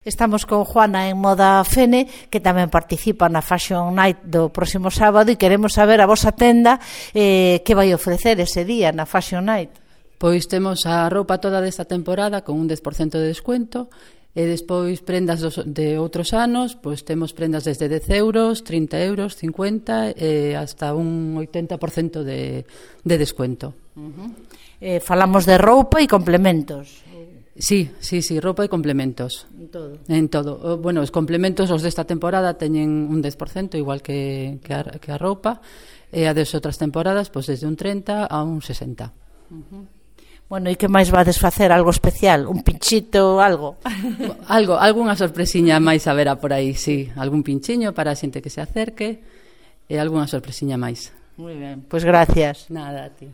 Estamos con Juana en Moda Fene, que tamén participa na Fashion Night do próximo sábado, e queremos saber a vosa tenda que vai ofrecer ese día na Fashion Night. Pois temos a roupa toda desta temporada con un 10% de descuento, e despois prendas de outros anos, pois temos prendas desde 10 euros, 30 euros, 50 e hasta un 80% de descuento. Falamos de roupa e complementos. Sí, roupa e complementos. En todo. Bueno, os complementos, os desta temporada, teñen un 10%, igual que a roupa, e a das outras temporadas, pois desde un 30 a un 60. Bueno, e que máis vades facer? Algo especial? Un pinchito, algo? Algunha sorpresiña máis haberá por aí, sí. Algún pinchiño para a xente que se acerque e algunha sorpresiña máis. Moi ben, pois gracias. Nada, a ti.